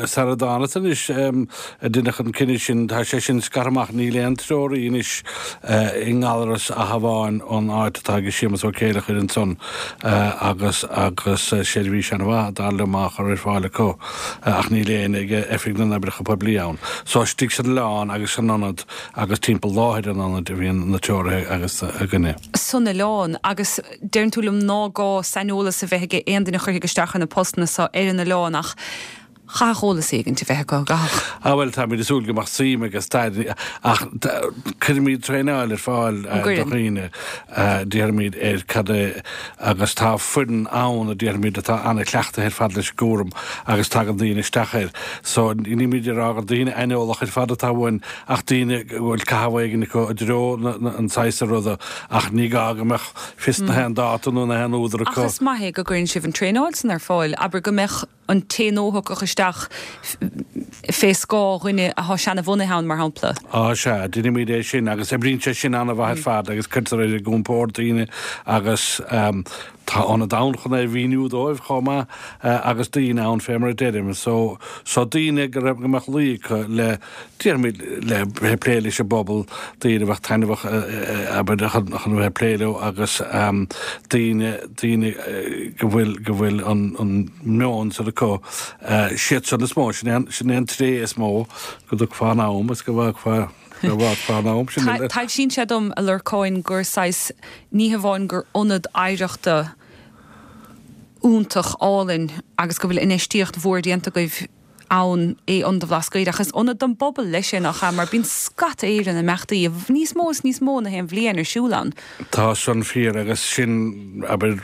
sara dtánas anois a deineadh an cinneadh sin, tá sé sin scartha amach, níl aon treoraí anois i nGallaras ach amháin an áit atá ag Séamus Ó Céileachair ansan agus agus seirbhís an-mhaith dar liom á chur ar fáil acu ach níl éinne ag Oifig na nOibreacha Poiblí ann. So istigh san oileán agus san ionad agus timpeall láthair an ionaid a bhíonn na treoraithe agus againne. san oileán agus deireann tú liom ná gá saineolas a bheith ag aon duine a chuirfidh isteach ar na postanna so ar an oileán ach chaithfeadh eolas éigint a bheith acu, an gcaithfeadh? Ah bhuel táimid ag súil go mbeadh suim agus stair ach cuirimid traenáil ar fáil do dhaoine déarfaimid ar cad é agus tá foireann ann a déarfaimid atá an-chleachtaithe ar fad leis an gcúram agus tagann daoine isteach air so nílimid ag rá gur daoine aineolach ar fad atá uainn ach daoine go bhfuil caitheamh éigin acu i dtreo an saghas ruda ach ní gá go mbeadh fios na haon dáta nó na haon údar acu. Ach is maith é go gcuireann sibh an traenáil san ar fáil, abair go mbeadh an té nua a thiocfadh isteach fé scáth dhuine athá seana-bhunaithe ann, mar shampla. Á sea, deinimid é sin agus oibríonn sé sin an-mhaith ar fad agus cuirtear ar a gcompord daoine agus tá ionad ann chun é a mhíniú dóibh chomh maith agus daoine ann fé mar a deirim. So, so daoine go raibh, go mbeadh luí acu le, déarfaimid, le bheith ag plé leis an bpobal, daoine a bheadh taitneamhach, abair, chun a bheith ag plé leo agus daoine, daoine go bhfuil, go bhfuil an, an meon san acu, siad san is mó, sin é an, sin é an tréith is mó go dtiocfá in am is go bhfágfá. Taibhsíonn sé dom, a Lorcáin, gur saghas, ní hamháin gur ionad oidhreachta iontach álainn agus go bhfuil infheistíocht mhór déanta agaibh ann é Ionad an Bhlascaoid, ach is ionad don bpobal leis é, nach ea? Mar bíonn scata Éireann imeachtaí, níos mó is níos mó na haon bhliain ar siúl ann. Tá san fíor agus sin, abair,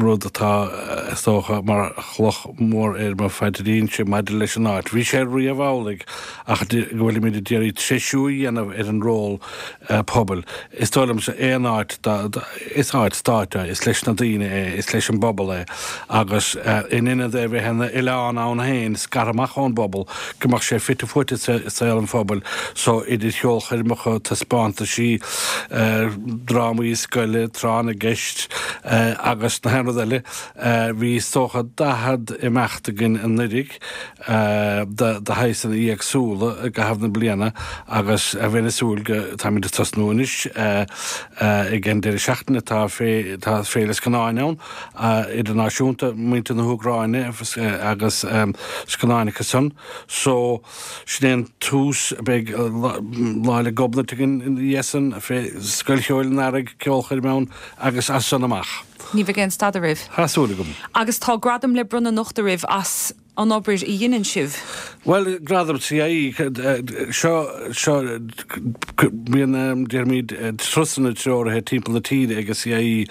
rud atá, is dócha, mar chloch mhór ar mo phaidrín-se maidir leis an áit. Bhí sé riamh amhlaidh ach go bhfuilimid ag iarraidh treisiú a dhéanamh ar an ról pobail. Is dóigh liomsa aon áit, is áit stáit é, is leis na daoine é, is leis an bpobal é agus in ionad é bheith ina oileán ann féin, scartha amach ón bpobal, go mbeadh sé fite fuaite i saol an phobail so idir cheolchoirmeacha, taispeántaisí, drámaí scoile, tráth na gceist agus na haon rud eile. Bhí is dócha 40 imeacht againn anuiridh. de shaghsanna éagsúla i gcaitheamh na bliana agus bheinn ag súil go, táimid ag tosnú anois ag an deireadh seachtaine, tá tá Féile Scannáin ann idirnáisiúnta, muintir na hÚcráine agus scannáin acu san. So sin é an tús, beidh Lá 'le Gobnait againn ina dhiaidh san, Scoil Cheoil an Earraigh, ceolchoirm ann agus as san amach. Ní bheidh aon stad oraibh. Tá súil agam. Agus tá gradam le bronnadh anocht oraibh as an obair a dheineann sibh. Bhuel, gradam CIE, seo, seo, bíonn, déarfaimid, turasanna treoraithe timpeall na tíre ag an CIE,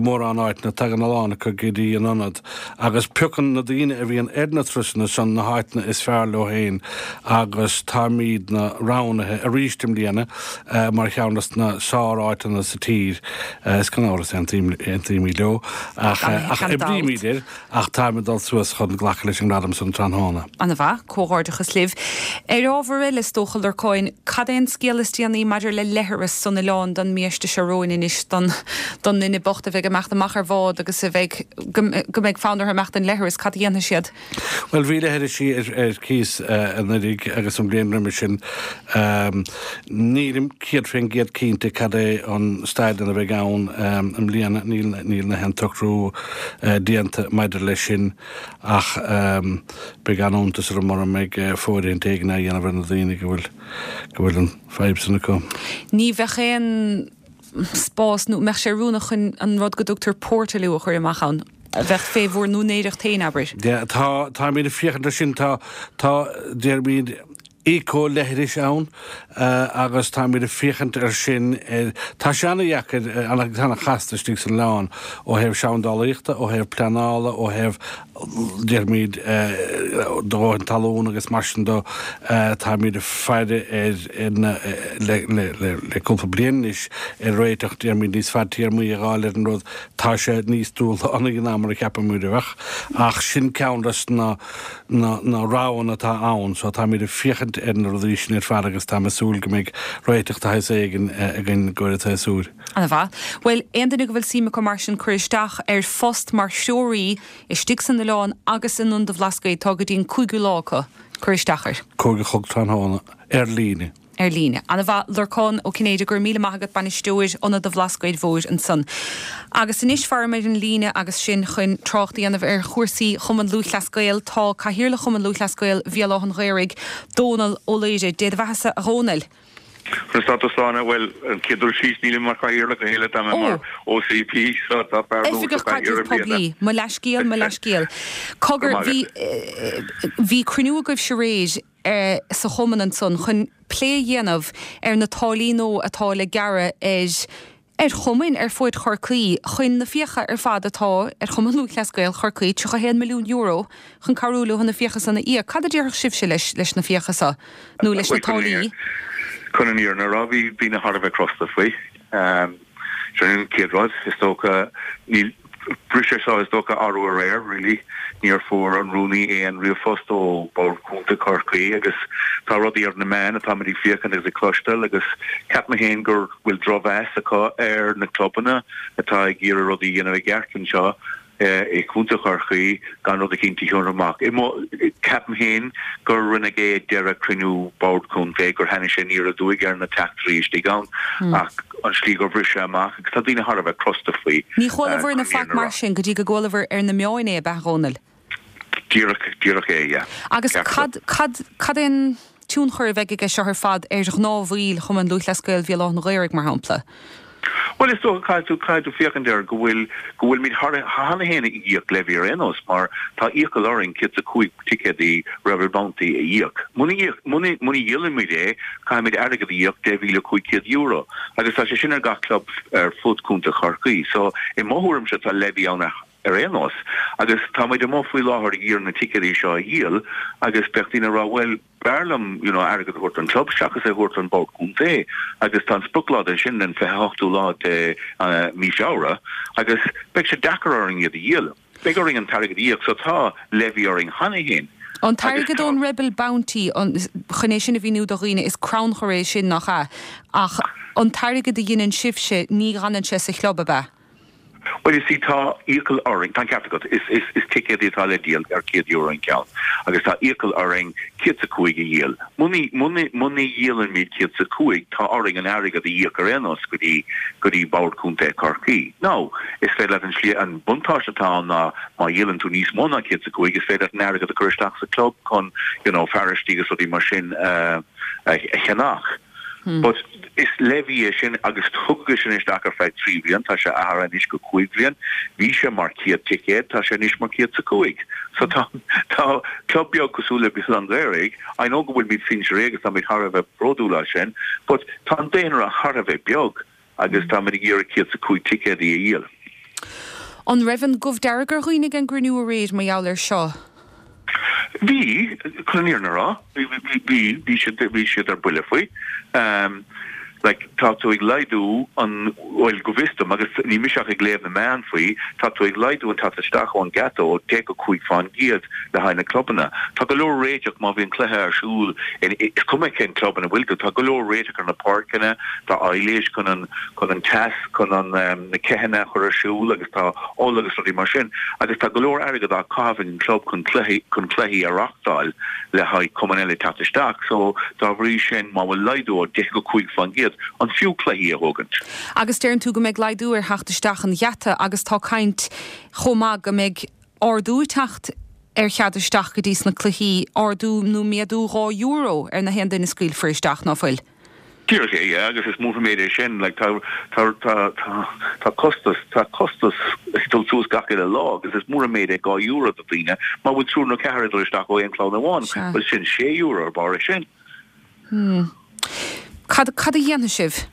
mórán áiteanna, tagann a lán acu go dtí an ionad agus piocann na daoine a bhíonn ar na turasanna san na háiteanna is fearr leo féin agus táimidne roghnaithe arís i mbliana mar cheann des na sár-áiteanna sa tír. Is gan amhras aontaímid leo ach oibrímid air ach táim ag dul suas chun glacadh leis an ngradam san tráthnóna. An-mhaith, comhghairdeachas libh. Ar ábhar eile, is dócha, Lorcáin, cad é an scéal is déanaí maidir le leithreas san oileán don mbiaiste seo romhainn anois, don don duine bocht a bheidh ag imeacht amach ar bhád agus a bheidh, go mbeidh fonn orthu imeacht don leithreas, cad a dhéanfaidh siad? Bhuel, bhí leithrisí ar cíos anuiridh agus an bhliain roimhe sin. Nílim 100% cinnte cad é an staid ina bheidh ann i mbliana, níl níl aon tsocrú déanta maidir leis sin ach beidh an-iontas orm mura mbeidh fóirithint éigin á dhéanamh ar na daoine go bhfuil go bhfuil an fadhb san acu. Ní bheadh aon spás nó mbeadh sé oiriúnach chun an rud go dtugtar portaloo a chur amach ann, a bheadh fé bhur n-úinéireacht féin, abair. Yeah, tá, táimid ag féachaint air sin, tá, tá, déarfaimid, eco-leithris ann agus táimid ag féachaint air sin, ar, tá sé ana-dheacair, ana-chasta istigh san oileán ó thaobh seandálaíochta, ó thaobh pleanála, ó thaobh déarfaimid, do dhóthain talún agus mar sin de. Táimid ag faire ar na, le cúpla bliain anois, ar réiteach, déarfaimid, níos fadtéarmaí a dh'fháil ar an rud. Tá sé níos dúshlánaí ná mar a cheapaimid a bheadh, ach sin ceann des na, na roghanna atá ann. So táimid ag féachaint. féachaint ar na rudaí sin ar fad agus táim ag súil go mbeidh réiteach de shaghas éigin againn i gcomhair an tséasúir. Ana mhaith. Bhuel, aon duine go bhfuil suim acu mar sin cur isteach ar phost mar threoraí istigh san oileán agus in Ionad an Bhlascaoid, tá go dtí an cúigiú lá acu cur isteach air. 5 a chlog tráthnóna, ar líne. Ar líne. Ana mhaith. Lorcán Ó Cinnéide, go raibh míle maith agat, Bainisteoir Ionad an Bhlascaoid Mhóir ansan. Agus anois faraim ar an líne agus sinn chun trácht a dhéanamh ar chúrsaí Chumann Lúthchleas Gael, tá Cathaoirleach Chumann Lúthchleas Gael Bhéal Átha'n Ghaorthaidh, Dónal Ó Laoire. Dé do bheathasa a Dhónaill. Conas tá tú a Shláine? Bhuel, an chéad dul síos, nílim mar chathaoirleach a thuilleadh, tá mé mar OCP, so tá fear nua sa Oifigeach chathaoir Caidrimh i mbliana. Poiblí. Mo leathscéal, mo leathscéal. Cogar, Go maith bhí, agat. bhí cruinniú agaibhse aréir sa chumann ansan chun plé a dhéanamh ar na táillí nua atá le gearradh ar ar chumainn ar fuaid Chorcaí chun na fiacha ar fad atá ar Chumann Lúthchleas Gael Chorcaí, €31 milliún, chun cabhrú leo na fiacha san a íoc. Cad a déarfadh sibhse leis leis na fiacha so, nó leis na táillí? Chun an fhírinne a rá, bhí daoine thar a bheith crosta faoi. Sin an chéad rud, is dócha. Níl, bhris sé seo, is dócha, arú aréir, really. Níor fuair an rúnaí aon ríomhphost ó Bhord Contae Chorcaí agus tá rudaí ar na meáin atáimid ag féachaint agus ag cloisteáil agus ceapaim féin gur bhfuil drochmheas acu ar na clubanna atá ag iarraidh rudaí a dhéanamh i gceart anseo. i gContae Chorcaí gan rud eicínt a thabhairt amach. Ceapaim féin gur rinneadh é ag deireadh cruinniú Bord Contae, gur tháinig sé aniar aduaidh ar na teachtairí istigh ann ach an slí gur bhris sé amach agus tá daoine thar a bheith crosta faoi. Ní chualabhair na faic mar sin go dtí go gcualabhair ar na meáin é, ab ea, a Dhónaill? Díreach, díreach é, yeah. Agus cad, cad, cad é an tionchar a bheidh aige seo ar fad ar ghnáthbhaill Chumann Lúthchleas Gael Bhéal Átha'n Ghaorthaidh, mar shampla? Bhuel, is dócha, caithfidh tú, caithfidh tú féachaint air go bhfuil, go bhfuilimid thar, cheana féin ag íoc levy ar aon nós mar tá iachall orainn 105 ticéadaí Rebel Bounty a íoc. Muna íoc, muna, muna dhíolaimid é, caithfimid airgead a íoc, €10,500 agus tá sé sin ar gach club ar fud Contae Chorcaí. So, i mo thuairimse, tá levy ann ar, ar aon nós. Agus tá muid amuigh faoi láthair ag iarraidh na ticéadaí seo a dhíol agus bheadh daoine ag rá bhuel, b'fhearr liom you know airgead a thabhairt don club seachas é a thabhairt don bhord contae agus tá an sprioclá de sin an 28ú lá de mí Feabhra agus beidh sé deacair orainn iad a dhíol. Beidh orainn an t-airgead a íoc so tá levy orainn cheana féin. An t-airgead ón Rebel Bounty, chun é sin a mhíniú do dhaoine, is crannchur é sin, nach ea? Ach an t-airgead a dheineann sibhse, ní fhanann sé sa chlub, ab ea? Bhuel, you see, tá iachall orainn, tá an ceart agat, is, is, is ticéadaí atá le díol ar €100 an ceann agus tá iachall orainn 105 a dhíol. Muna, muna, muna dhíolaimid 105, tá orainn an airgead a íoc ar aon nós go dtí, go dtí Bord Contae Chorcaí. Now, is féidir leat an slí, an buntáiste atá ann ná má dhíolann tú níos mó ná 105, is féidir leat an airgead a chur isteach sa club chun, you know, fearaistí agus rudaí mar sin a, a cheannach. But is levy é sin agus tugadh sin isteach ar feadh 3 bhliain, tá sé athraithe anois go 5 bhliain. Bhí sé mar 100 ticéad, tá sé anois mar 105. So tá tá club beag cosúil le Béal Átha'n Ghaorthaidh, I know go bhfuilimid Sinsear A agus táimid thar a bheith bródúil as sin, but tá an daonra thar a bheith beag agus táimid ag iarraidh 105 ticéadaí a dhíol. An raibh an gomh dearg ar dhaoine ag an gcruinniú aréir mar gheall air seo? Bhí, chun an fhírinne a rá, bhí, bhí, bhí siad, bhí siad ar buile faoi. Like, tá tú ag laghdú an, bhuel, go bhfios dom, agus ní mise ach ag léamh na meán faoi, tá tú ag laghdú an teacht isteach ón gheata ó 10 go 5 fán gcéad le haghaidh na clubanna. Tá go leor réiteach má bhíonn cluiche ar siúl in, is cuma cén club ina bhfuil tú, tá go leor réiteach ar na páirceanna, tá aibhléis chun an, chun an teas, chun an, na ceitheanna a chur ar siúl agus tá ola agus rudaí mar sin agus tá go leor airgead á chaitheamh ag an gclub chun cluichí, chun cluichí a reachtáil le haghaidh cumainn eile teacht isteach so dá bhrí sin má bhfuil laghdú ó 10 go 5%, an fiú cluichí a thógaint? Agus deireann tú go mbeidh laghdú ar theacht isteach an gheata agus tá caint chomh maith go mbeidh ardú ag teacht ar chead isteach go dtí sna cluichí, ardú nó méadú €2 ar na haon duine a scaoilfear isteach, ná fuil? Díreach é, yeah, agus is mór an méid é sin, like, tá, tá, tá, tá, tá costas, tá costas ag dul suas gach uile lá agus is mór an méid é €2 do daoine, má bhfuil triúr nó ceathrar ag dul isteach ó aon chlann amháin, Sea. bhuel sin €6 ar barr é sin. Hmm. Cad, cad a dhéanfaidh sibh?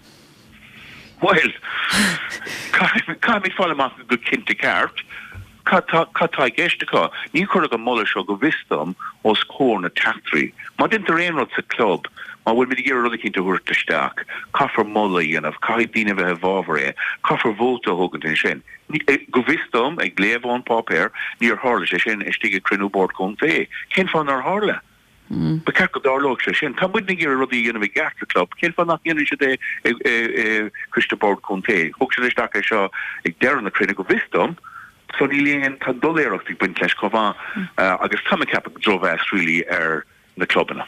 Bhuel, caithfimid, caithfimid fáil amach go cinnte ceart. Cad tá, cad tá i gceist acu? Ní cuireadh an moladh seo, go bhfios dom, os comhair na teachtairí. Má deintear aon rud sa club, má bhfuilimid ag iarraidh rud eicínt a thabhairt isteach, caithfear moladh a dhéanamh, caithfidh daoine a bheith i bhfabhar é, caithfear vóta a thógaint ansin. Go bhfios dom, ag léamh ón páipéar, níor tharla sé sin istigh ag cruinniú Bord Contae. Cén fáth nár tharla? Ba cheart go dtarlódh sé sin. Tá muidne ag iarraidh rudaí a dhéanamh i gceart sa chlub, cén fáth nach ndéanann siad é i Coiste Bord Contae? Thug siad isteach é seo ag deireadh na cruinnithe go bhfios dom, so níl aon, tá doiléireacht ag baint leis chomh maith agus tá mé ag ceapadh drochmheas really ar na clubanna.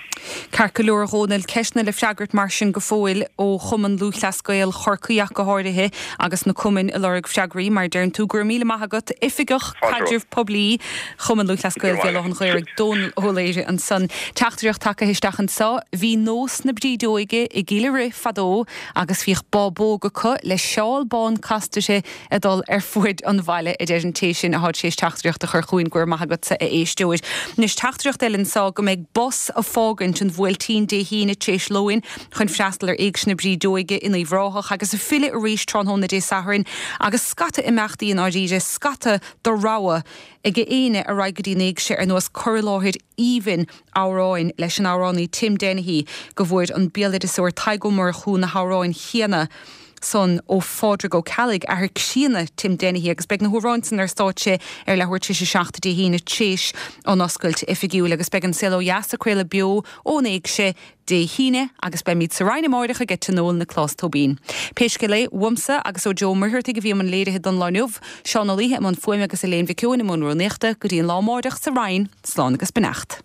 Ceart go leor a Dhónaill, ceisteanna le freagairt mar sin go fóill ó Chumann Lúthchleas Gael Chorcaí ach go háirithe agus na cumainn ag lorg freagraí mar a deireann tú. Go raibh míle maith agat, Oifigeach Caidrimh Poiblí Chumann Lúthchleas Gael Bhéal Átha an Ghaorthaidh, Dónal Ó Laoire ansan. Teachtaireacht tagtha isteach anso, Bhí nós na brídeoige i gCill an Rith fadó agus bhíodh bábóg acu le seál bán casta uirthi ag dul ar fuaid an bhaile, a deir an té sin athá tar éis teachtaireacht a chur chugainn. Go raibh maith agatsa, a éisteoir. Anois, teachtaireacht eile anso go mbeidh bus ag fágaint an Bhuailtín Dé hAoine tar éis lóin chun freastal ar Éigse na Brídeoige in Uíbh Ráthach agus ag filleadh arís tráthnóna Dé Sathairn agus scata imeachtaí i ndáiríre, scata de rogha ag éinne a raghaidh go dtí an Éigse ar nós cur i láthair aoibhinn amhráin leis an amhránaí Tim Dennehy go bhfuair an béaloideasóir Tadhg Ó Murchú na hamhráin chéanna san ó Phádraig Ó Ceallaigh, athair críonna Tim Dennehy agus beidh na hamhráin san ar stáitse ar leathuair tar éis a 7 Dé hAoine tréis an oscailt oifigiúil agus beidh An Saol Ó Dheas ag craoladh beo ón Éigse Dé hAoine agus beimid sa Rinn amáireach ag Tionól na Clás Tóibín. Pé scéal é, uaimse agus ó Joe Ó Muircheartaigh a bhí i mbun léirithe don lá inniu, Seán Ó Laoithe i mbun fuaime agus Elaine Mhic Eoin i mbun rúnaíochta, go dtí an lá amáireach sa Rinn, slán agus beannacht.